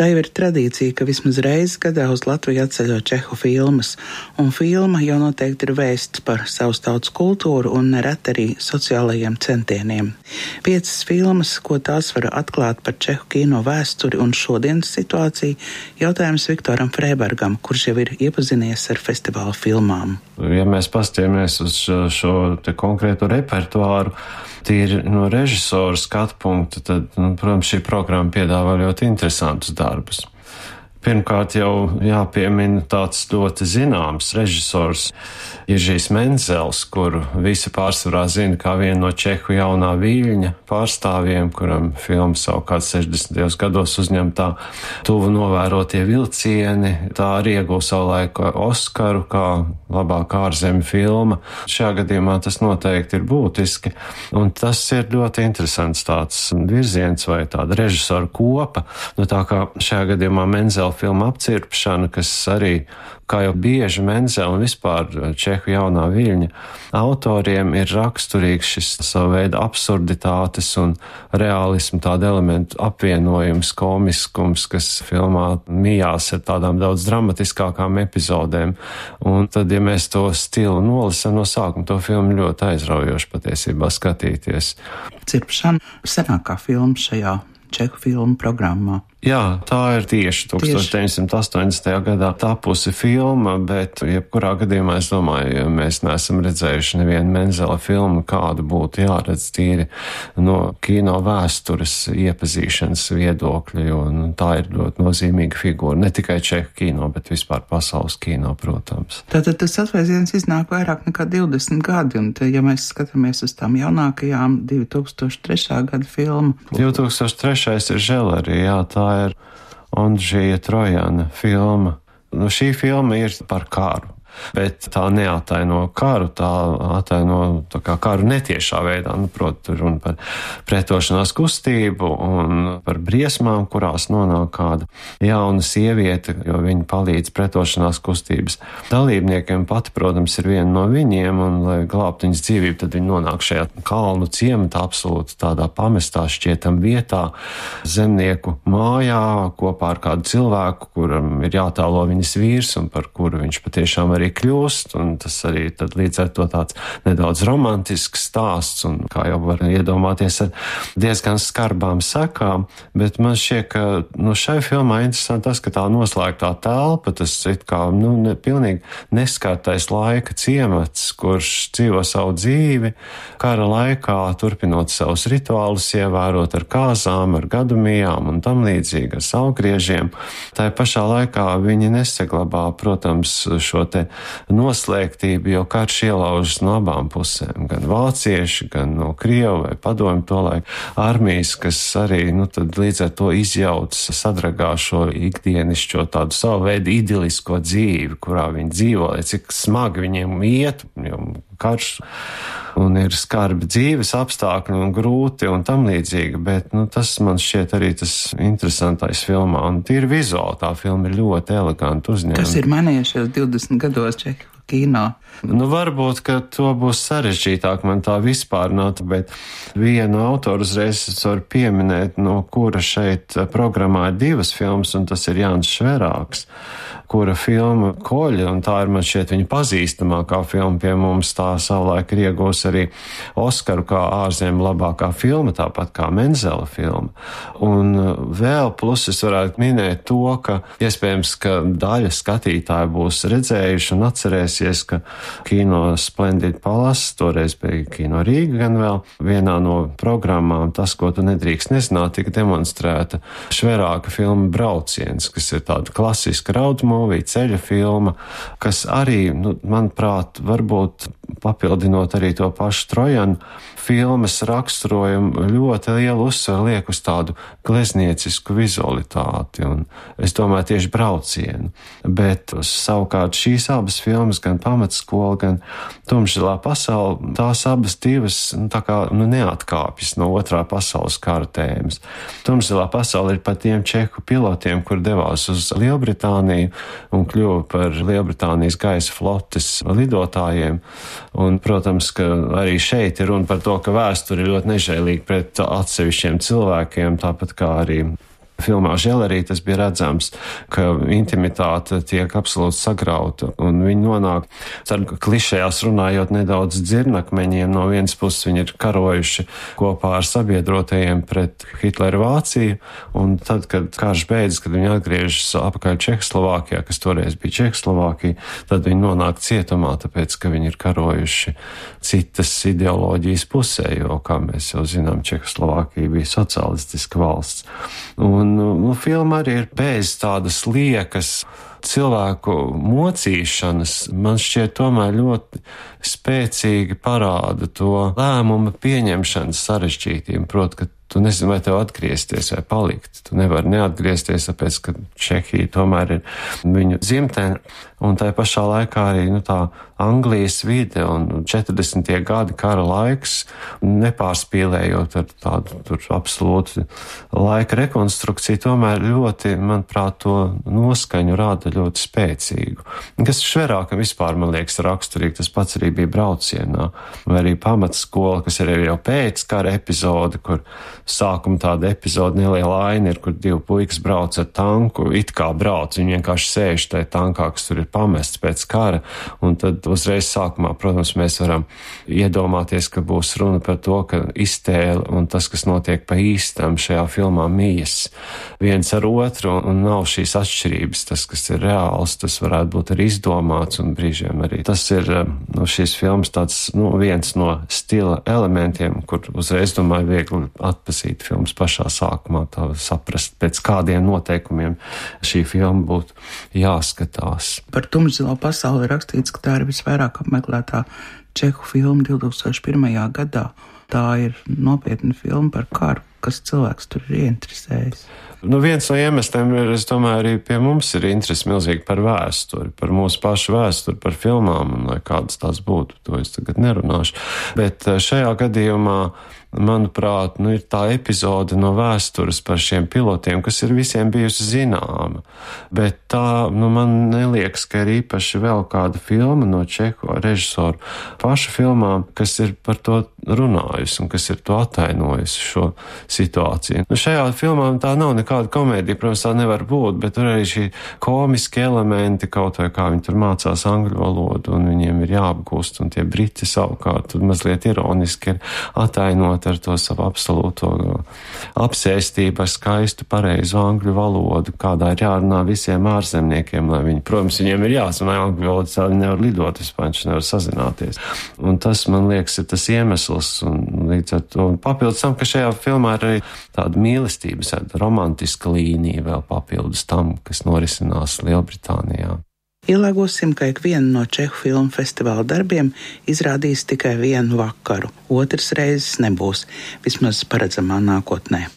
Tā jau ir tradīcija, ka vismaz reizi gadā uz Latviju atceļo čehu filmas, un filma jau noteikti ir vēsts par savas tautas kultūru un nereti arī sociālajiem centieniem. 5 filmas, ko tās var atklāt par čehu kino vēsturi un šodienas situāciju, jautājums Viktoram Frēbergam, kurš jau ir iepazinies ar festivāla filmām. Ja mēs paskatāmies uz šo te konkrēto repertuāru, tīri no režisora skatu punkta, tad, protams, šī programma piedāvā ļoti interesantus darbus. Pirmkārt jau jāpiemina tāds ļoti zināms režisors Jiržijs Menzels, kuru visi pārsvarā zina kā vienu no čehu jaunā viļņa pārstāvjiem, kuram filma savukārt 60. gados uzņemtā Tuvu novērotie vilcieni. Tā arī ieguva savulaik Oskaru kā labākā ārzemju filma. Šajā gadījumā tas noteikti ir būtiski, un tas ir ļoti interesants tāds virziens vai tāda režisora kopa. Tā kā šajā gadījumā Menzela filma Apcirpšana, kas arī, kā jau bieži Menzela un vispār čehu jaunā viļņa autoriem ir raksturīgs šis savu veidu absurditātes un realismu tāda elementu apvienojums, komiskums, kas filmā mijās ar tādām daudz dramatiskākām epizodēm. Un tad, ja mēs to stilu nolasam no sākuma, to filmu ļoti aizraujoši patiesībā skatīties. Cirpšana senākā filma šajā čehu filmu programmā. Jā, tā ir tieši 1980. gadā tapusi filma, bet jebkurā gadījumā es domāju, ja mēs neesam redzējuši nevienu Menzela filmu, kādu būtu jāredz tīri no kino vēstures iepazīšanas viedokļa, jo tā ir ļoti nozīmīga figūra, ne tikai čehu kino, bet vispār pasaules kino, protams. Tātad tas atvēziens iznāk vairāk nekā 20 gadi, un te, ja mēs skatāmies uz tām jaunākajām 2003. gada filmu. 2003. ir Želerī, jā, tā ir Ondžija Trojana filma. Šī filma ir par karu, bet tā neataino karu, tā ataino tā kā karu netiešā veidā. Proti, runa par pretošanās kustību un par briesmām, kurās nonāk kāda jauna sieviete, jo viņa palīdz pretošanās kustības dalībniekiem. Pati, protams, ir viena no viņiem, un, lai glābtu viņas dzīvību, tad viņa nonāk šajā kalnu ciematā, absolūti tādā pamestā šķietam vietā, zemnieku mājā, kopā ar kādu cilvēku, kuram ir jātēlo viņas vīrs, un par kuru viņš patiešām arī kļūst, un tas arī tad līdz ar to tāds nedaudz romantisks stāsts, un kā jau var iedomāties ar diezgan skarbām sekām, bet man šķiet, ka šai filmā interesanti tas, ka tā noslēgtā telpa, tas it kā pilnīgi neskartais laika ciemats, kurš dzīvo savu dzīvi, kara laikā turpinot savus rituālus, ievērot ar kāzām, ar gadumijām un tam līdzīgi, ar saulgriežiem. Tā pašā laikā viņi nesaglabā, protams, šo te noslēgtību, jo karš ielaužas no abām pusēm, gan vācieši, gan no Krievu vai padomju tolaik armijas, kas arī, tad līdz ar to izjauc, sadragā šo ikdienišķo tādu savu veidu idilisko dzīvi, kurā viņi dzīvo, lai cik smagi viņiem iet, jo karš un ir skarbi dzīves apstākļi un grūti un tam līdzīgi, bet tas man šķiet arī tas interesantais filmā, un tīri vizuāli tā filma ir ļoti eleganti uzņemta. Kas ir mainījušies 20 gados čehu kino? Varbūt, ka to būs sarežģītāk man tā vispārināt, bet vienu autoru uzreiz es varu pieminēt, no kura šeit programmā ir 2 filmas, un tas ir Jānis Šverāks, kura filma Koļa, un tā ir man šķiet viņa pazīstamākā filma pie mums, tā savulaik ir iegūs arī Oskaru kā ārzemju labākā filma, tāpat kā Menzela filma. Un vēl plus es varētu minēt to, ka iespējams, ka daļa skatītāju būs redzējuši un atcerēsies, ka Kino Splendid Palace, toreiz bija Kino Rīga gan vēl, vienā no programmām Tas, ko tu nedrīkst nezināt, tika demonstrēta Šverāka filma Brauciens, kas ir tāda klasiska road movie, ceļa filma, kas arī, manuprāt, varbūt papildinot arī to pašu Trojanu, filmas raksturojumu ļoti lielu uzsvaru liek uz tādu glezniecisku vizualitāti, un es domāju tieši Braucienu. Bet savukārt šīs abas filmas, gan Pamatskola, gan Tumšzilā pasaule, tās abas divas neatkāpjas no otrā pasaules kara tēmas. Tumšzilā pasaule ir par tiem čehu pilotiem, kur devās uz Lielbritāniju un kļuva par Lielbritānijas gaisa flotes lidotājiem, un, protams, ka arī šeit ir runa par to, ka vēsture ir ļoti nežēlīga pret atsevišķiem cilvēkiem, tāpat kā arī Filmā Želerī tas bija redzams, ka intimitāte tiek absolūti sagrauta, un viņi nonāk, klišējās runājot, nedaudz dzirnakmeņiem. No vienas puses viņi ir karojuši kopā ar sabiedrotajiem pret Hitlera Vāciju, un tad, kad karš beidzas, kad viņi atgriežas apakaļ Čehoslovākijā, kas toreiz bija Čehoslovākija, tad viņi nonāk cietumā, tāpēc, ka viņi ir karojuši citas ideoloģijas pusē, jo, kā mēs jau zinām, Čehoslovākija bija socialistiska valsts. Un filma arī ir bez tādas liekas cilvēku mocīšanas, man šķiet tomēr ļoti spēcīgi parāda to lēmumu pieņemšanas sarežģītību, proti, ka tu nezini, vai tev atgriezties vai palikt. Tu nevari neatgriezties, tāpēc, ka Čehija tomēr ir viņu dzimtene, un tai pašā laikā arī tā Anglijas vide un 40. gadi kara laiks, nepārspīlējot ar tādu tur absolūti laika rekonstrukciju, tomēr ļoti, manuprāt, to noskaņu rāda ļoti spēcīgu. Kas Šverākam vispār, man liekas, raksturīgi, tas pats arī bija Braucienā, vai arī pamatskola, kas ir jau pēc kara epizode, kur sākuma tāda epizode neliela aina ir, kur divi puikas brauc ar tanku, it kā brauc, viņi vienkārši sēž tajā tankā, kas tur ir pamests pēc kara, un tad uzreiz sākumā, protams, mēs varam iedomāties, ka būs runa par to, ka iztēle un tas, kas notiek pa īstam šajā filmā mijas viens ar otru, un nav šīs atšķirības, tas, kas ir reāls, tas varētu būt arī izdomāts, un brīžiem arī tas ir šīs filmas tāds, viens no stila elementiem, kur uzreiz, domāju, viegli atpazīt filmas pašā sākumā, tā saprast, pēc kādiem noteikumiem šī filma būtu jāskatās. Par Tumšzilo pasauli ir rakstīts, ka tā ir visvairāk apmeklētā čehu filma 2001. gadā. Tā ir nopietna filma par karu, kas cilvēks tur ir ieinteresējis. Viens no iemesliem ir, es domāju, arī pie mums ir interesi milzīgi par vēsturi, par mūsu pašu vēsturi, par filmām, un lai kādas tās būtu, to es tagad nerunāšu. Bet šajā gadījumā, manuprāt, ir tā epizode no vēstures par šiem pilotiem, kas ir visiem bijusi zināma. Bet tā, man neliekas, ka ir īpaši vēl kāda filma no čehu režisoru pašu filmām, kas ir par to runājusi un kas ir to atainojusi šo situāciju. Šajā filmā tā nav nekāda komēdija, protams, tā nevar būt, bet tur arī šī komiski elementi, kaut vai kā viņi tur mācās angļu valodu un viņiem ir jāapgūst, un tie briti savukārt tur mazliet ironiski ir atainot ar to savu absolūto apsēstību ar skaistu pareizu angļu valodu, kādā ir jārunā visiem ārzemniekiem, lai viņi, protams, viņiem ir jāsunā angļu valodu, viņi nevar lidot vispār, viņš nevar sazināties. Un tas, man liekas, ir tas iemesls, un līdz ar to papildus tam, ka šajā filmā ir arī tāda mīlestības, romantiska līnija vēl papildus tam, kas norisinās Lielbritānijā. Ielēgosim, ka ikvienu no čehu filmu festivāla darbiem izrādīs tikai vienu vakaru, otras reizes nebūs, vismaz paredzamā nākotnē.